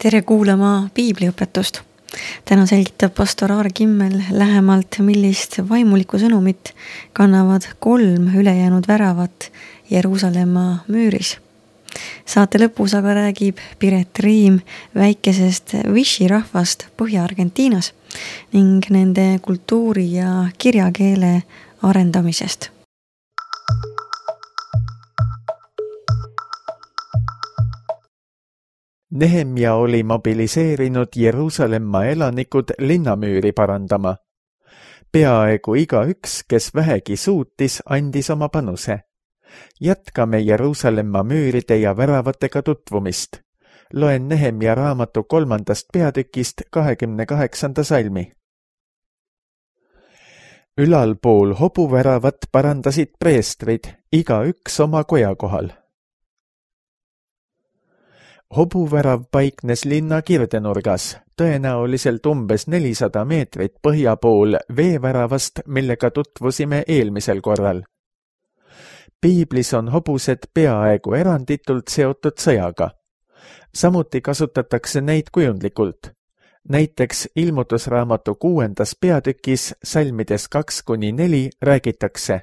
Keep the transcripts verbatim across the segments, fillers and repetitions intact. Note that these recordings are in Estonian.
Tere kuulama piibliõpetust. Täna selgitab pastor Aar Kimmel lähemalt, millist vaimulikku sõnumit kannavad kolm ülejäänud väravat Jeruusalemma müüris. Saate lõpus aga räägib Piret Riim väikesest Wishi rahvast Põhja-Argentiinas ning nende kultuuri ja kirjakeele arendamisest. Nehemia oli mobiliseerinud Jeruusalemma elanikud linnamüüri parandama. Peaaegu igaüks, kes vähegi suutis, andis oma panuse. Jätkame Jeruusalemma müüride ja väravatega tutvumist. Loen Nehemia raamatu kolmandast peatükist kahekümne kaheksanda salmi. Ülalpool hobuväravat parandasid preestrid, igaüks oma koja kohal. Hobuvärav paiknes linna kirdenurgas, tõenäoliselt umbes nelisada meetrit põhja pool veeväravast, millega tutvusime eelmisel korral. Piiblis on hobused peaaegu eranditult seotud sõjaga. Samuti kasutatakse neid kujundlikult. Näiteks ilmutusraamatu kuuendas peatükis salmides kaks kuni neli räägitakse.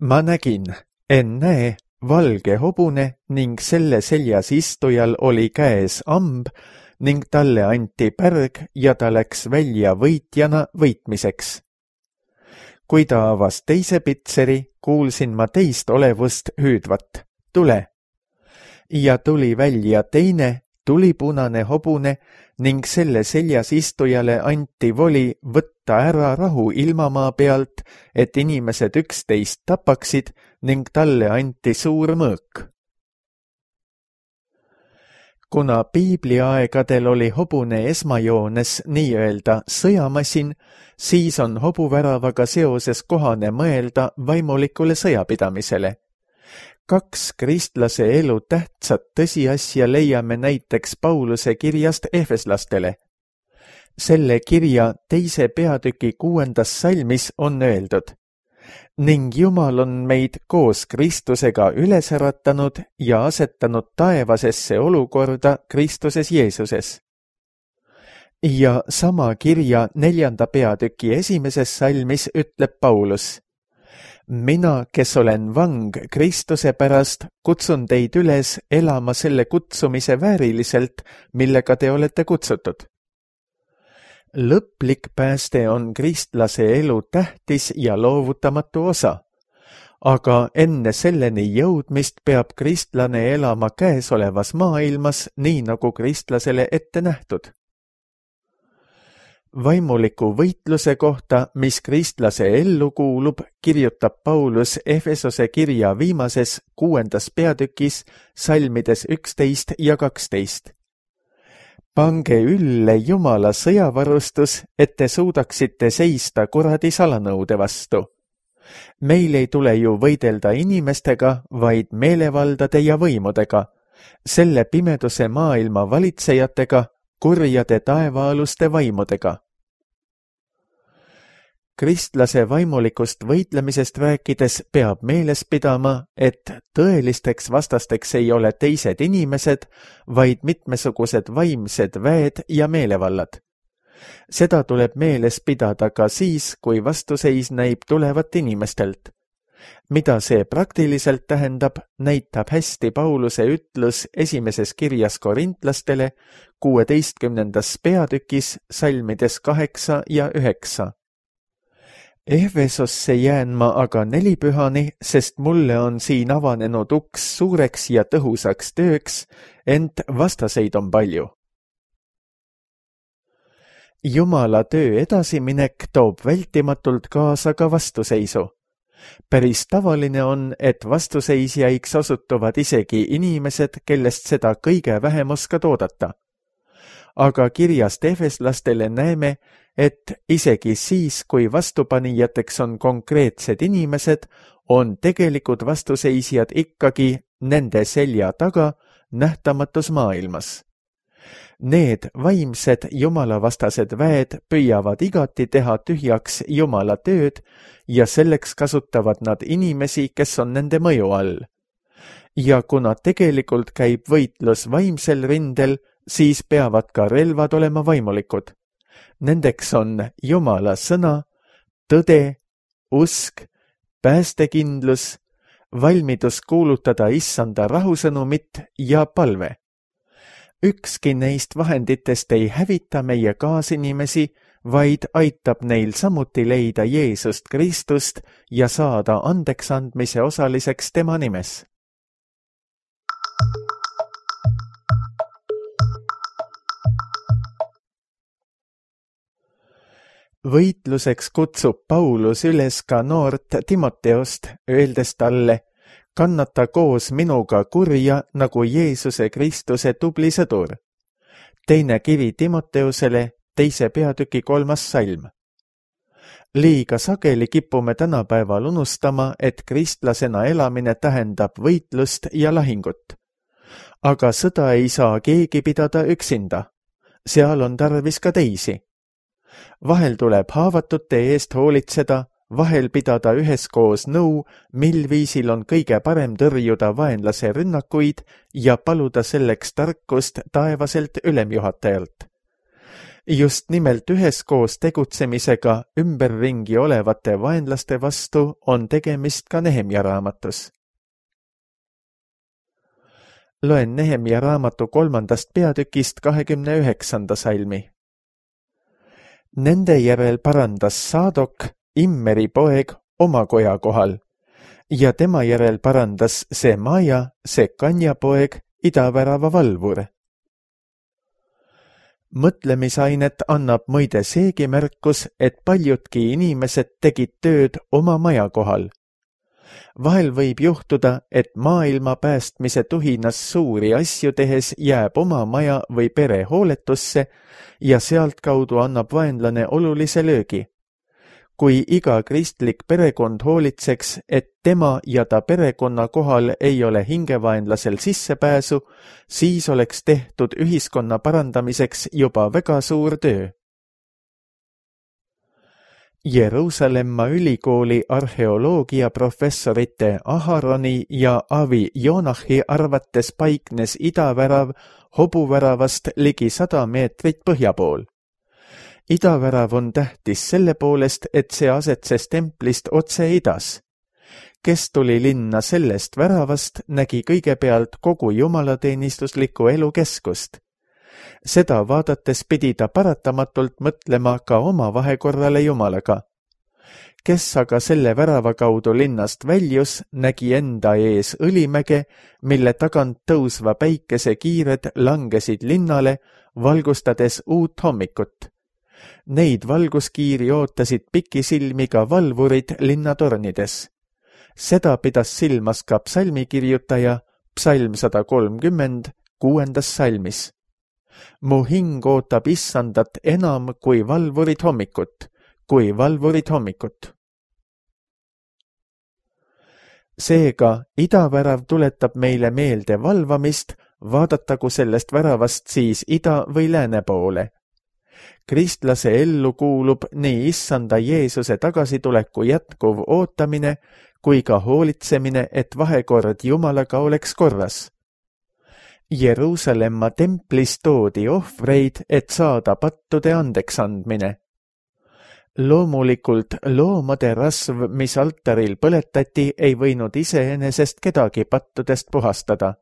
Ma nägin, en näe, valge hobune ning selle seljas istujal oli käes amb ning talle anti pärg ja ta läks välja võitjana võitmiseks. Kui ta avas teise pitseri, kuulsin ma teist olevust hüüdvat, tule. Ja tuli välja teine, tulipunane hobune ning selle seljas istujale anti voli võtta ära rahu ilmamaa pealt, et inimesed üksteist tapaksid ning talle anti suur mõõk. Kuna piibliaegadel oli hobune esmajoones nii-öelda sõjamasin, siis on hobuväravaga seoses kohane mõelda vaimulikule sõjapidamisele. Kaks kristlase elu tähtsat tõsiasja leiame näiteks Pauluse kirjast Efeslastele. Selle kirja teise peatüki kuuendas salmis on öeldud, ning Jumal on meid koos Kristusega üles äratanud ja asetanud taevasesse olukorda Kristuses Jeesuses. Ja sama kirja neljanda peatüki esimeses salmis ütleb Paulus, mina, kes olen vang Kristuse pärast, kutsun teid üles elama selle kutsumise vääriliselt, millega te olete kutsutud. Lõplik pääste on kristlase elu tähtis ja loovutamatu osa, aga enne selleni jõudmist peab kristlane elama käesolevas maailmas nii nagu kristlasele ette nähtud. Vaimuliku võitluse kohta, mis kristlase ellu kuulub, kirjutab Paulus Efesose kirja viimases kuuendas peatükis salmides üksteist ja kaksteist. Pange ülle Jumala sõjavarustus, et te suudaksite seista kuradi salanõude vastu. Meil ei tule ju võidelda inimestega, vaid meelevaldade ja võimudega, selle pimeduse maailma valitsejatega, kurjade taevaaluste vaimudega. Kristlase vaimulikust võitlemisest rääkides peab meeles pidama, et tõelisteks vastasteks ei ole teised inimesed, vaid mitmesugused vaimsed väed ja meelevallad. Seda tuleb meeles pidada ka siis, kui vastuseis näib tulevat inimestelt. Mida see praktiliselt tähendab, näitab hästi Pauluse ütlus esimeses kirjas korintlastele kuueteistkümnendas peatükis salmides kaheksa ja üheksa. Efesosse jään ma aga nelipühani, sest mulle on siin avanenud uks suureks ja tõhusaks tööks, ent vastaseid on palju. Jumala töö edasiminek toob vältimatult kaasa ka vastuseisu. Päris tavaline on, et vastuseisjaiks osutuvad isegi inimesed, kellest seda kõige vähem oskad oodata. Aga kirjast efeslastele näeme, et isegi siis, kui vastupanijateks on konkreetsed inimesed, on tegelikud vastuseisjad ikkagi nende selja taga nähtamatus maailmas. Need vaimsed jumalavastased väed püüavad igati teha tühjaks Jumala tööd ja selleks kasutavad nad inimesi, kes on nende mõju all. Ja kuna tegelikult käib võitlus vaimsel rindel, siis peavad ka relvad olema vaimulikud. Nendeks on Jumala sõna, tõde, usk, päästekindlus, valmidus kuulutada issanda rahusõnumit ja palve. Ükski neist vahenditest ei hävita meie kaasinimesi, vaid aitab neil samuti leida Jeesust Kristust ja saada andeksandmise osaliseks tema nimes. Võitluseks kutsub Paulus üles ka noort Timoteost, öeldes talle, kannata koos minuga kurja nagu Jeesuse Kristuse tubli sõdur. Teine kivi Timoteusele, teise peatüki kolmas salm. Liiga sageli kipume tänapäeval unustama, et kristlasena elamine tähendab võitlust ja lahingut. Aga sõda ei saa keegi pidada üksinda. Seal on tarvis ka teisi. Vahel tuleb haavatute eest hoolitseda, vahel pidada üheskoos nõu, mil viisil on kõige parem tõrjuda vaenlase rünnakuid ja paluda selleks tarkust taevaselt ülemjuhatajalt. Just nimelt üheskoos tegutsemisega ümberringi olevate vaenlaste vastu on tegemist ka Nehemja raamatus. Loen Nehemja raamatu kolmandast peatükist kahekümne üheksanda salmi. Nende järel parandas Saadok, Immeri poeg, oma koja kohal ja tema järel parandas Semaja, Sekanja poeg, idavärava valvur. Mõtlemisainet annab muide seegi märkus, et paljudki inimesed tegid tööd oma maja kohal. Vahel võib juhtuda, et maailma päästmise tuhinas suuri asju tehes jääb oma maja või pere hooletusse ja sealtkaudu annab vaenlane olulise löögi. Kui iga kristlik perekond hoolitseks, et tema ja ta perekonna kohal ei ole hingevaenlasel sissepääsu, siis oleks tehtud ühiskonna parandamiseks juba väga suur töö. Jeruusalemma ülikooli arheoloogia professorite Aharoni ja Avi Jonahi arvates paiknes idavärav hobuväravast ligi sada meetrit põhja pool. Idavärav on tähtis selle poolest, et see asetses templist otse idas. Kes tuli linna sellest väravast, nägi kõigepealt kogu jumalateenistusliku elu keskust. Seda vaadates pidi ta paratamatult mõtlema ka oma vahekorrale Jumalaga. Kes aga selle värava kaudu linnast väljus, nägi enda ees õlimäge, mille tagant tõusva päikese kiired langesid linnale, valgustades uut hommikut. Neid valguskiiri ootasid pikisilmi ka valvurid linnatornides. Seda pidas silmas ka psalmikirjutaja, psalm sada kolmkümmend, kuuendas salmis. Mu hing ootab issandat enam kui valvurid hommikut, kui valvurid hommikut. Seega, idavärav tuletab meile meelde valvamist, vaadatagu sellest väravast siis ida või lääne poole. Kristlase ellu kuulub nii issanda Jeesuse tagasituleku jätkuv ootamine kui ka hoolitsemine, et vahekord Jumalaga oleks korras. Jeruusalemma templis toodi ohvreid, et saada pattude andeksandmine. Loomulikult loomade rasv, mis altaril põletati, ei võinud iseenesest kedagi pattudest puhastada.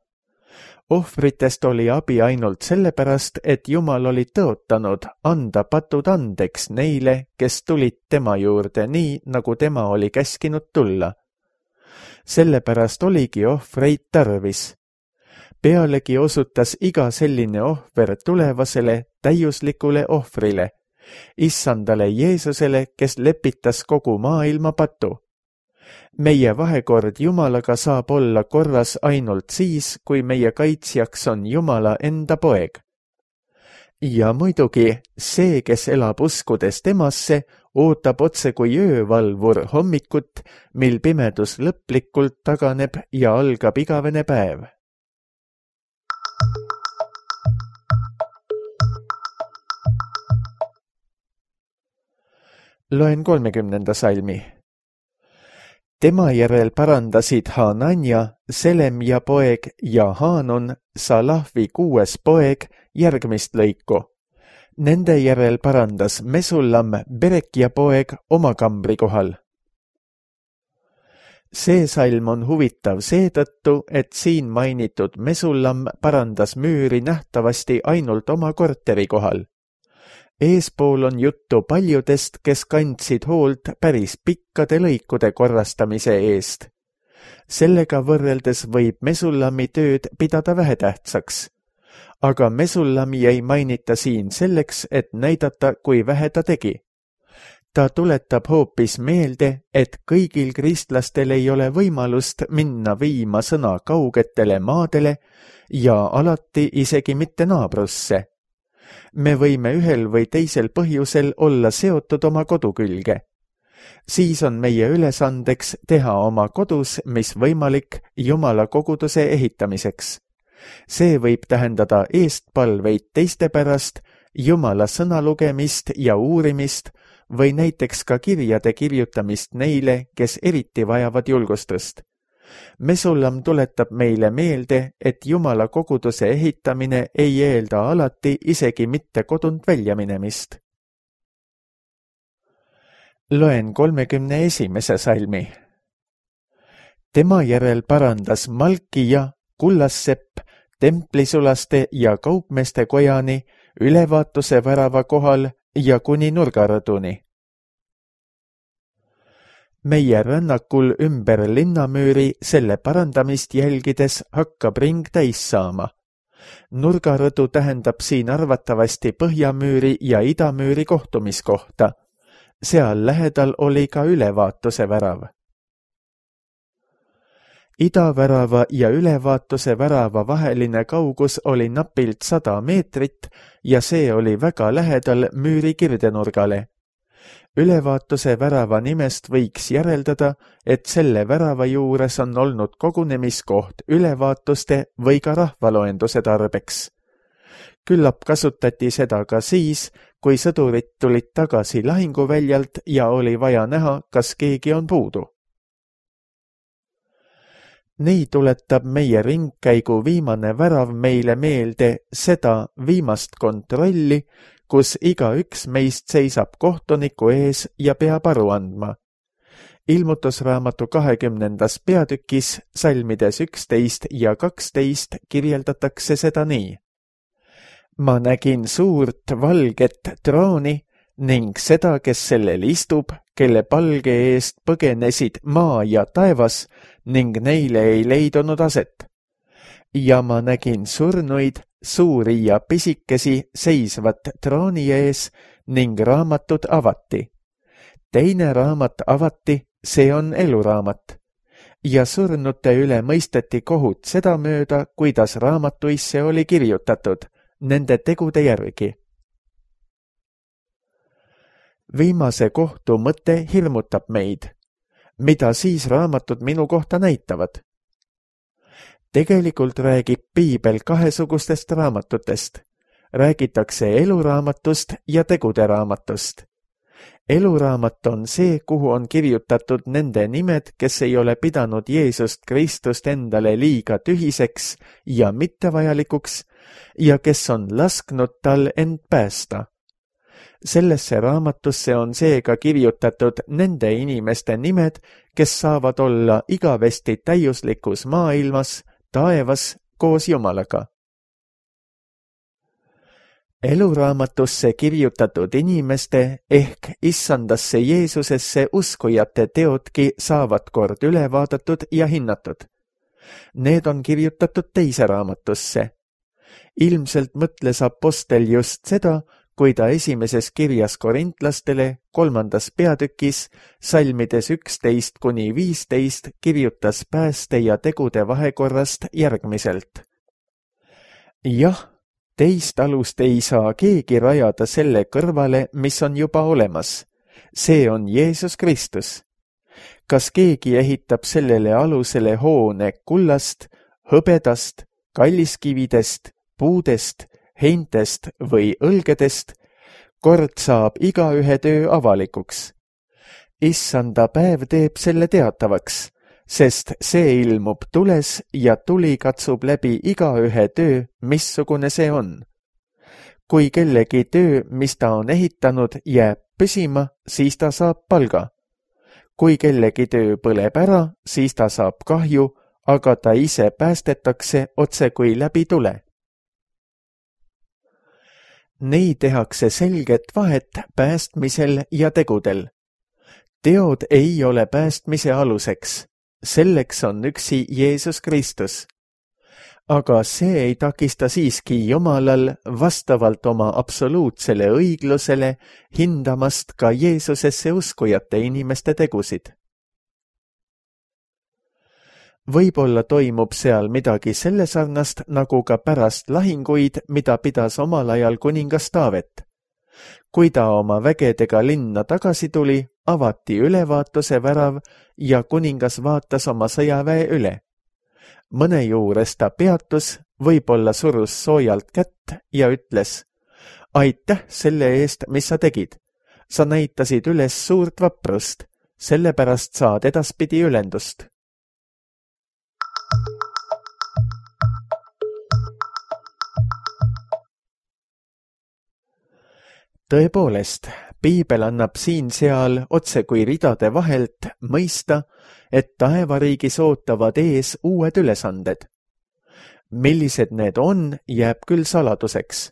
Ohvritest oli abi ainult sellepärast, et Jumal oli tõotanud anda patud andeks neile, kes tulid tema juurde nii, nagu tema oli käskinud tulla. Sellepärast oligi ohvreid tarvis. Pealegi osutas iga selline ohver tulevasele täiuslikule ohvrile, issandale Jeesusele, kes lepitas kogu maailma patu. Meie vahekord Jumalaga saab olla korras ainult siis, kui meie kaitsjaks on Jumala enda poeg. Ja muidugi see, kes elab uskudes temasse, ootab otse kui öövalvur hommikut, mil pimedus lõplikult taganeb ja algab igavene päev. Loen kolmekümnenda salmi. Tema järel parandasid Hananja, Selemja poeg ja Hanun, Salahvi kuues poeg, järgmist lõiku. Nende järel parandas Mesullam, Berekja poeg, oma kambri kohal. See salm on huvitav seetõttu, et siin mainitud Mesullam parandas müüri nähtavasti ainult oma korteri kohal. Eespool on juttu paljudest, kes kandsid hoolt päris pikkade lõikude korrastamise eest. Sellega võrreldes võib Mesullami tööd pidada vähetähtsaks. Aga Mesullami ei mainita siin selleks, et näidata, kui vähe ta tegi. Ta tuletab hoopis meelde, et kõigil kristlastel ei ole võimalust minna viima sõna kaugetele maadele ja alati isegi mitte naabrusse. Me võime ühel või teisel põhjusel olla seotud oma kodu külge. Siis on meie ülesandeks teha oma kodus, mis võimalik, Jumala koguduse ehitamiseks. See võib tähendada eestpalveid teiste pärast, Jumala sõna lugemist ja uurimist või näiteks ka kirjade kirjutamist neile, kes eriti vajavad julgustust. Mesullam tuletab meile meelde, et Jumala koguduse ehitamine ei eelda alati isegi mitte kodunt välja minemist. Loen kolmekümne esimese salmi. Tema järel parandas Malkija, Kullassepp, templisulaste ja kaupmeeste kojani, ülevaatuse värava kohal ja kuni nurgarõduni. Meie rännakul ümber linnamüüri selle parandamist jälgides hakkab ring täis saama. Nurgarõdu tähendab siin arvatavasti põhjamüüri ja idamüüri kohtumiskohta. Seal lähedal oli ka ülevaatuse värav. Idavärava ja ülevaatuse värava vaheline kaugus oli napilt sada meetrit ja see oli väga lähedal müüri kirdenurgale. Ülevaatuse värava nimest võiks järeldada, et selle värava juures on olnud kogunemiskoht ülevaatuste või ka rahvaloenduse tarbeks. Küllap kasutati seda ka siis, kui sõdurid tulid tagasi lahinguväljalt ja oli vaja näha, kas keegi on puudu. Nii tuletab meie ringkäigu viimane värav meile meelde seda viimast kontrolli, kus iga üks meist seisab kohtuniku ees ja peab aru andma. Ilmutusraamatu kahekümnendas peatükis salmides üksteist ja kaksteist kirjeldatakse seda nii. Ma nägin suurt valget trooni ning seda, kes sellel istub, kelle palge eest põgenesid maa ja taevas ning neile ei leidunud aset. Ja ma nägin surnuid, suuri ja pisikesi seisvat trooni ees ning raamatud avati. Teine raamat avati, see on eluraamat. Ja surnute üle mõisteti kohut sedamööda, kuidas raamatuisse oli kirjutatud, nende tegude järgi. Viimase kohtu mõte hirmutab meid. Mida siis raamatud minu kohta näitavad? Tegelikult räägib Piibel kahesugustest raamatutest. Räägitakse eluraamatust ja tegude raamatust. Eluraamat on see, kuhu on kirjutatud nende nimed, kes ei ole pidanud Jeesust Kristust endale liiga tühiseks ja mittevajalikuks ja kes on lasknud tal end päästa. Sellesse raamatusse on seega kirjutatud nende inimeste nimed, kes saavad olla igavesti täiuslikus maailmas, taevas koos Jumalaga. Eluraamatusse kirjutatud inimeste ehk issandasse Jeesusesse uskujate teodki saavad kord üle vaadatud ja hinnatud. Need on kirjutatud teise raamatusse. Ilmselt mõtles apostel just seda, kui ta esimeses kirjas korintlastele kolmandas peatükis salmides üksteist kuni viisteist kirjutas pääste ja tegude vahekorrast järgmiselt. Jah, teist alust ei saa keegi rajada selle kõrvale, mis on juba olemas. See on Jeesus Kristus. Kas keegi ehitab sellele alusele hoone kullast, hõbedast, kalliskividest, puudest, heintest või õlgedest, kord saab igaühe töö avalikuks. Issanda päev teeb selle teatavaks, sest see ilmub tules ja tuli katsub läbi igaühe töö, missugune see on. Kui kellegi töö, mis ta on ehitanud, jääb püsima, siis ta saab palga. Kui kellegi töö põleb ära, siis ta saab kahju, aga ta ise päästetakse otse kui läbi tule. Nii tehakse selget vahet päästmisel ja tegudel. Teod ei ole päästmise aluseks. Selleks on üksi Jeesus Kristus. Aga see ei takista siiski Jumalal vastavalt oma absoluutsele õiglusele hindamast ka Jeesusesse uskujate inimeste tegusid. Võib-olla toimub seal midagi selle sarnast, nagu ka pärast lahinguid, mida pidas omal ajal kuningas Taavet. Kui ta oma vägedega linna tagasi tuli, avati ülevaatuse värav ja kuningas vaatas oma sõjaväe üle. Mõne juures ta peatus, võib-olla surus soojalt kätt ja ütles: aitäh selle eest, mis sa tegid. Sa näitasid üles suurt vaprust, sellepärast saad edaspidi ülendust. Tõepoolest, Piibel annab siin-seal otse kui ridade vahelt mõista, et taevariigis ootavad ees uued ülesanded. Millised need on, jääb küll saladuseks.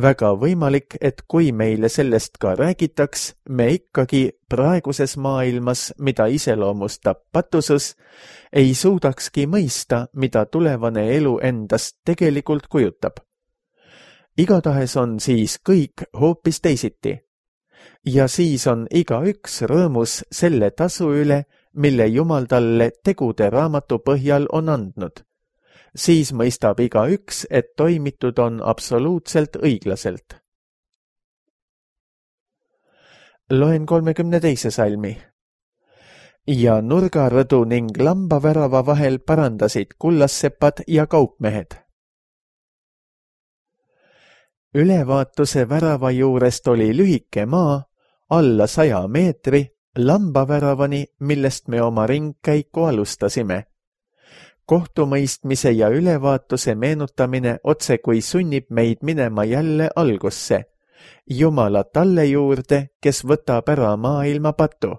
Väga võimalik, et kui meile sellest ka räägitaks, me ikkagi praeguses maailmas, mida iseloomustab patusus, ei suudakski mõista, mida tulevane elu endast tegelikult kujutab. Igatahes on siis kõik hoopis teisiti. Ja siis on igaüks rõõmus selle tasu üle, mille Jumal talle tegude raamatu põhjal on andnud. Siis mõistab igaüks, et toimitud on absoluutselt õiglaselt. Loen kolmekümne teise salmi. Ja nurgarõdu ning lambavärava vahel parandasid kullassepad ja kaupmehed. Ülevaatuse värava juurest oli lühike maa, alla saja meetri, lambaväravani, millest me oma ringkäiku alustasime. Kohtumõistmise ja ülevaatuse meenutamine otse kui sunnib meid minema jälle algusse, Jumala talle juurde, kes võtab ära maailma patu.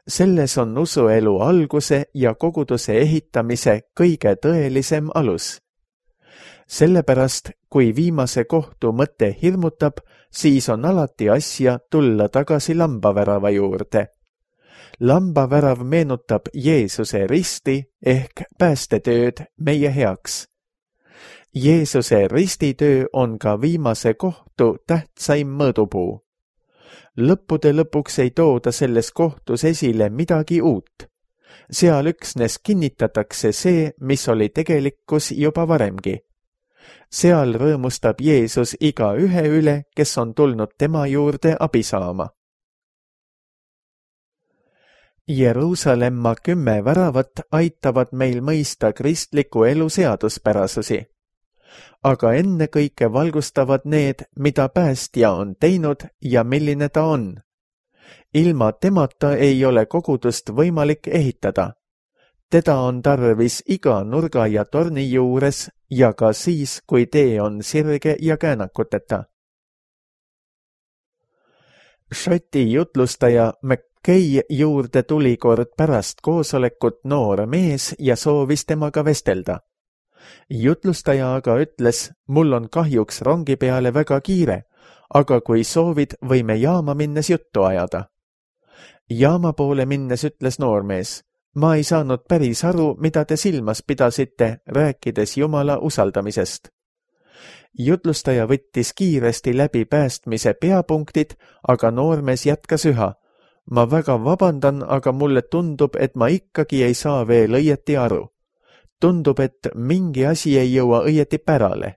Selles on usuelu alguse ja koguduse ehitamise kõige tõelisem alus. Sellepärast, kui viimase kohtu mõte hirmutab, siis on alati asja tulla tagasi lambavärava juurde. Lambavärav meenutab Jeesuse risti ehk päästetööd meie heaks. Jeesuse ristitöö on ka viimase kohtu tähtsaim mõõdupuu. Lõppude lõpuks ei tooda selles kohtus esile midagi uut. Seal üksnes kinnitatakse see, mis oli tegelikkus juba varemgi. Seal rõõmustab Jeesus iga ühe üle, kes on tulnud tema juurde abi saama. Jeruusalemma kümme väravat aitavad meil mõista kristliku elu seaduspärasusi. Aga ennekõike valgustavad need, mida päästja on teinud ja milline ta on. Ilma temata ei ole kogudust võimalik ehitada. Teda on tarvis iga nurga ja torni juures ja ka siis, kui tee on sirge ja käänakuteta. Šoti jutlustaja McKay juurde tuli kord pärast koosolekut noor mees ja soovis temaga vestelda. Jutlustaja aga ütles, mul on kahjuks rongi peale väga kiire, aga kui soovid, võime jaama minnes juttu ajada. Jaama poole minnes ütles noormees, ma ei saanud päris aru, mida te silmas pidasite, rääkides Jumala usaldamisest. Jutlustaja võttis kiiresti läbi päästmise peapunktid, aga noormees jätkas üha. Ma väga vabandan, aga mulle tundub, et ma ikkagi ei saa veel õieti aru. Tundub, et mingi asi ei jõua õieti pärale.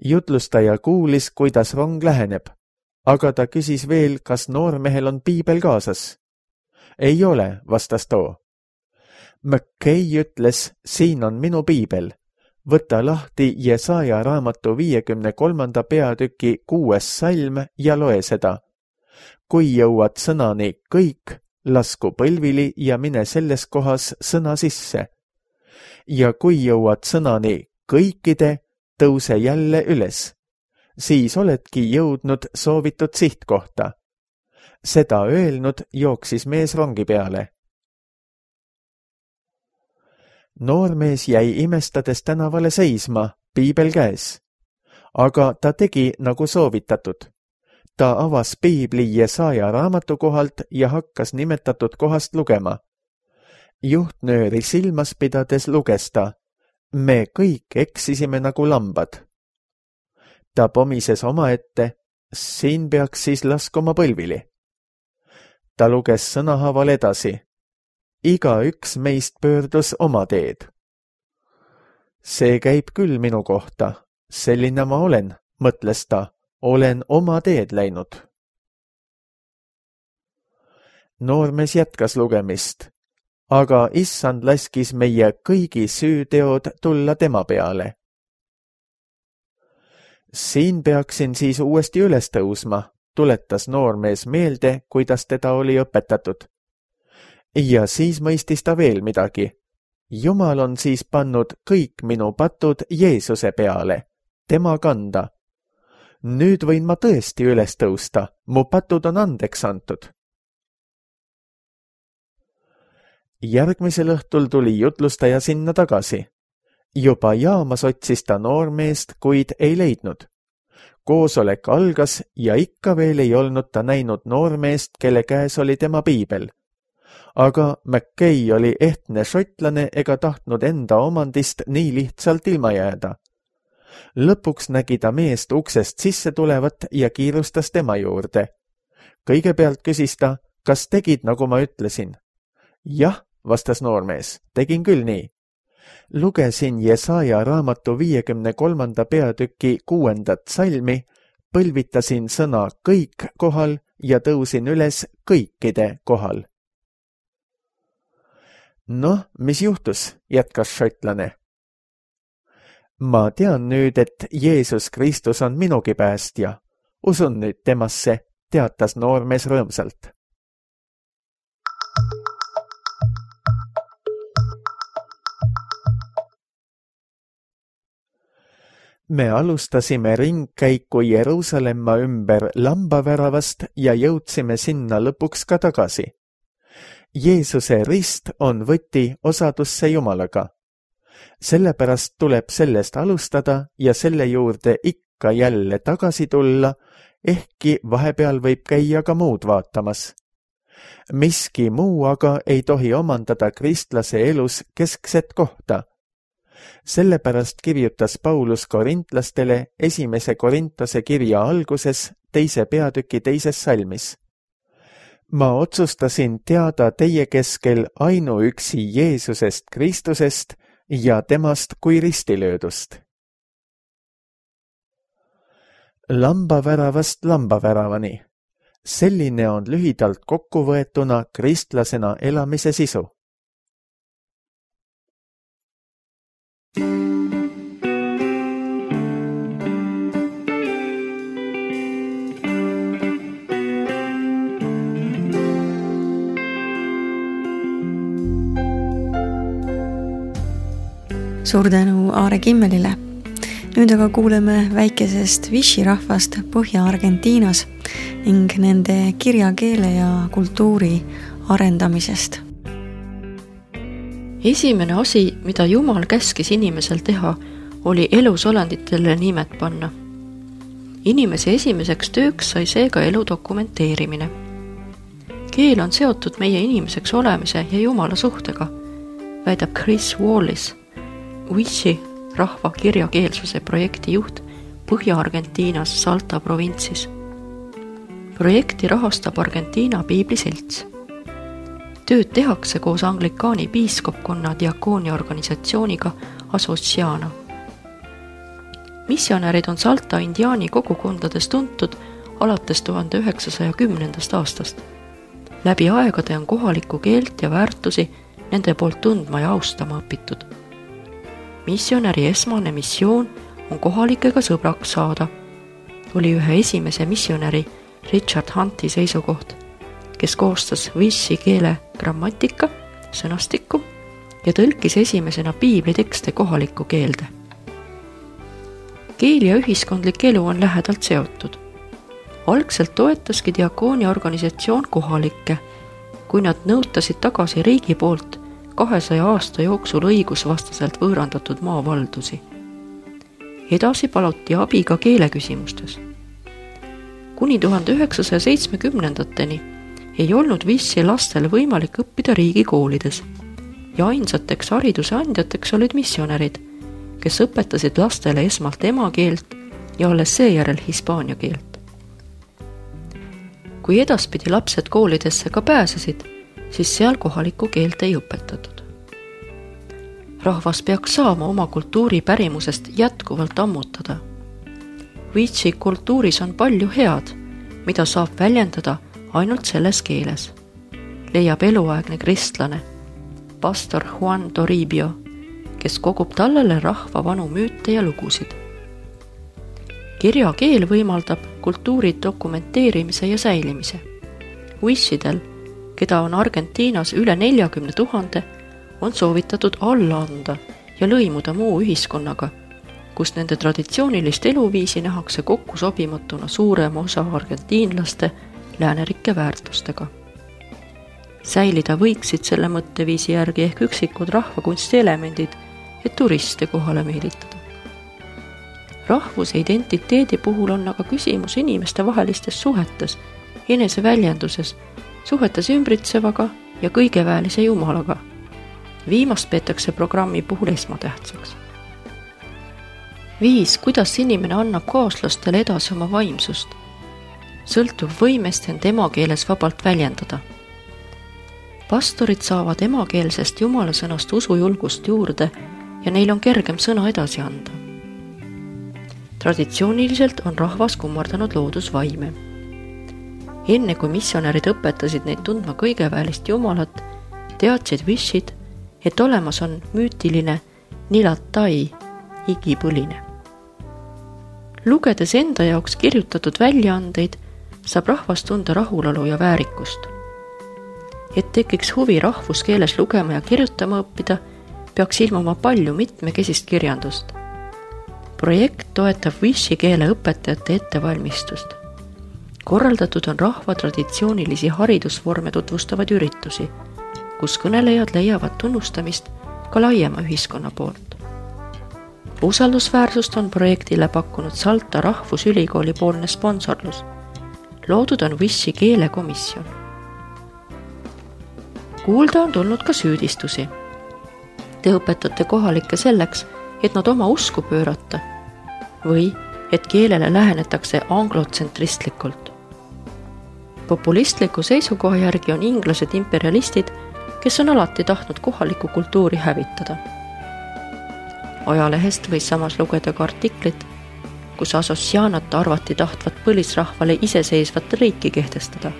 Jutlustaja kuulis, kuidas rong läheneb, aga ta küsis veel, kas noormehel on piibel kaasas. Ei ole, vastas too. McKay ütles, siin on minu piibel. Võta lahti Jesaja raamatu viiekümne kolmanda peatüki kuues salm ja loe seda. kui jõuad sõnani kõik, lasku põlvili ja mine selles kohas sõna sisse. Ja kui jõuad sõnani kõikide, tõuse jälle üles. Siis oledki jõudnud soovitud sihtkohta. Seda öelnud jooksis mees rongi peale. Noormees jäi imestades tänavale seisma, piibel käes. Aga ta tegi nagu soovitatud. Ta avas piibli Jesaja raamatu kohalt ja hakkas nimetatud kohast lugema. Juhtnööri silmas pidades luges ta, me kõik eksisime nagu lambad. Ta pomises omaette, siin peaks siis laskuma põlvili. Ta luges sõnahaaval edasi. Iga üks meist pöördus oma teed. See käib küll minu kohta, selline ma olen, mõtles ta, olen oma teed läinud. Noormees jätkas lugemist, aga issand laskis meie kõigi süüteod tulla tema peale. Siin peaksin siis uuesti üles tõusma, tuletas noormees meelde, kuidas teda oli õpetatud. Ja siis mõistis ta veel midagi. Jumal on siis pannud kõik minu patud Jeesuse peale, tema kanda. Nüüd võin ma tõesti üles tõusta, mu patud on andeks antud. Järgmisel õhtul tuli jutlustaja sinna tagasi. Juba jaamas otsis ta noormeest, kuid ei leidnud. Koosolek algas ja ikka veel ei olnud ta näinud noormeest, kelle käes oli tema piibel. Aga Mackay oli ehtne šotlane ega tahtnud enda omandist nii lihtsalt ilma jääda. Lõpuks nägi ta meest uksest sisse tulevat ja kiirustas tema juurde. Kõigepealt küsis ta, kas tegid, nagu ma ütlesin? Jah, vastas noormees, tegin küll nii. Lugesin Jesaja raamatu viiekümne kolmanda peatüki kuuendat salmi, põlvitasin sõna kõik kohal ja tõusin üles kõikide kohal. Noh, mis juhtus, jätkas šotlane. Ma tean nüüd, et Jeesus Kristus on minugi päästja. Usun nüüd temasse, teatas noormees rõõmsalt. Me alustasime ringkäiku Jeruusalemma ümber lambaväravast ja jõudsime sinna lõpuks ka tagasi. Jeesuse rist on võti osadusse Jumalaga. Sellepärast tuleb sellest alustada ja selle juurde ikka jälle tagasi tulla, ehkki vahepeal võib käia ka muud vaatamas. Miski muu aga ei tohi omandada kristlase elus keskset kohta. Sellepärast kirjutas Paulus korintlastele esimese Korintose kirja alguses teise peatüki teises salmis. Ma otsustasin teada teie keskel ainuüksi Jeesusest Kristusest ja temast kui ristilöödust. Lambaväravast lambaväravani. Selline on lühidalt kokkuvõetuna kristlasena elamise sisu. Suur tänu Aare Kimmelile. Nüüd aga kuuleme väikesest Vishi rahvast Põhja-Argentiinas ning nende kirjakeele ja kultuuri arendamisest. Esimene asi, mida Jumal käskis inimesel teha, oli elusolenditele nimed panna. Inimese esimeseks tööks sai seega elu dokumenteerimine. Keel on seotud meie inimeseks olemise ja Jumala suhtega, väidab Chris Wallis, Vishi rahva kirjakeelsuse projekti juht Põhja-Argentiinas Salta provintsis. Projekti rahastab Argentiina piibliselts. Tööd tehakse koos anglikaani piiskopkonna diakoonia organisatsiooniga Asociana. Missionärid on Salta indiaani kogukondades tuntud alates tuhande üheksasaja kümnendast aastast. Läbi aegade on kohalikku keelt ja väärtusi nende poolt tundma ja austama õpitud. Missionäri esmane missioon on kohalikega sõbraks saada. Oli ühe esimese missionäri Richard Hunti seisukoht, kes koostas Wishi keele grammatika, sõnastikku ja tõlkis esimesena piiblitekste kohalikku keelde. Keel ja ühiskondlik elu on lähedalt seotud. Algselt toetaski diakoonia organisatsioon kohalikke, kui nad nõutasid tagasi riigi poolt kahesaja aasta jooksul õigusvastaselt võõrandatud maavaldusi. Edasi paluti abi ka keeleküsimustes. Kuni tuhande üheksasaja seitsmekümnendateni ei olnud Wishi lastel võimalik õppida riigikoolides ja ainsateks hariduse andjateks olid missionärid, kes õpetasid lastele esmalt emakeelt ja alles seejärel hispaania keelt. Kui edaspidi lapsed koolidesse ka pääsesid, siis seal kohalikku keelt ei õpetatud. Rahvas peaks saama oma kultuuri pärimusest jätkuvalt ammutada. Wishi kultuuris on palju head, mida saab väljendada ainult selles keeles, leiab eluaegne kristlane, pastor Juan Toribio, kes kogub tallele rahva vanu müüte ja lugusid. Kirjakeel võimaldab kultuuri dokumenteerimise ja säilimise. Wishidel, keda on Argentiinas üle neljakümne tuhande, on soovitatud alla anda ja lõimuda muu ühiskonnaga, kus nende traditsioonilist eluviisi nähakse kokku sobimatuna suurema osa argentiinlaste läänerikke väärtustega. Säilida võiksid selle mõtteviisi järgi ehk üksikud rahvakunsti elemendid, et turiste kohale meelitada. Rahvuse identiteedi puhul on aga küsimus inimeste vahelistes suhetes, eneseväljenduses, suhetes ümbritsevaga ja kõigeväelise jumalaga. Viimast peetakse programmi puhul esmatähtsaks. Viis, kuidas inimene annab kaaslastele edasi oma vaimsust, sõltub võimest end emakeeles vabalt väljendada. Pastorid saavad emakeelsest jumala sõnast usujulgust juurde ja neil on kergem sõna edasi anda. Traditsiooniliselt on rahvas kummardanud loodusvaime. Enne kui missionärid õpetasid neid tundma kõigeväelist jumalat, teadsid Wishid, et olemas on müütiline Nilatai, igipõline. Lugedes enda jaoks kirjutatud väljaandeid, saab rahvas tunda rahulolu ja väärikust. Et tekiks huvi rahvuskeeles lugema ja kirjutama õppida, peaks ilmuma palju mitmekesist kirjandust. Projekt toetab Wishi keele õpetajate ettevalmistust. Korraldatud on rahva traditsioonilisi haridusvorme tutvustavad üritusi, kus kõnelejad leiavad tunnustamist ka laiema ühiskonna poolt. Usaldusväärsust on projektile pakkunud Salta Rahvusülikooli poolne sponsorlus. Loodud on Wishi keelekomisjon. Kuulda on tulnud ka süüdistusi. Te õpetate kohalikke selleks, et nad oma usku pöörata või et keelele lähenetakse anglotsentristlikult. Populistliku seisukoha järgi on inglased imperialistid, kes on alati tahtnud kohalikku kultuuri hävitada. Ajalehest võis samas lugeda ka artiklit, kus Asocianat arvati tahtvat põlisrahvale iseseisvat riiki kehtestada.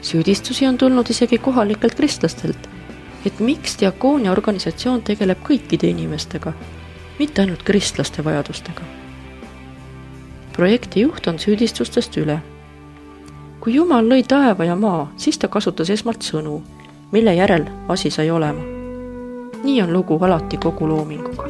Süüdistusi on tulnud isegi kohalikelt kristlastelt, et miks diakoonia organisatsioon tegeleb kõikide inimestega, mitte ainult kristlaste vajadustega. Projekti juht on süüdistustest üle. Kui Jumal lõi taeva ja maa, siis ta kasutas esmalt sõnu, mille järel asi sai olema. Nii on lugu alati kogu loominguga.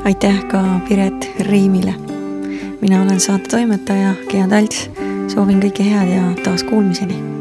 Aitäh ka Piret Riimile. Mina olen saate toimetaja Gea Talts. Soovin kõike head ja taas kuulmiseni.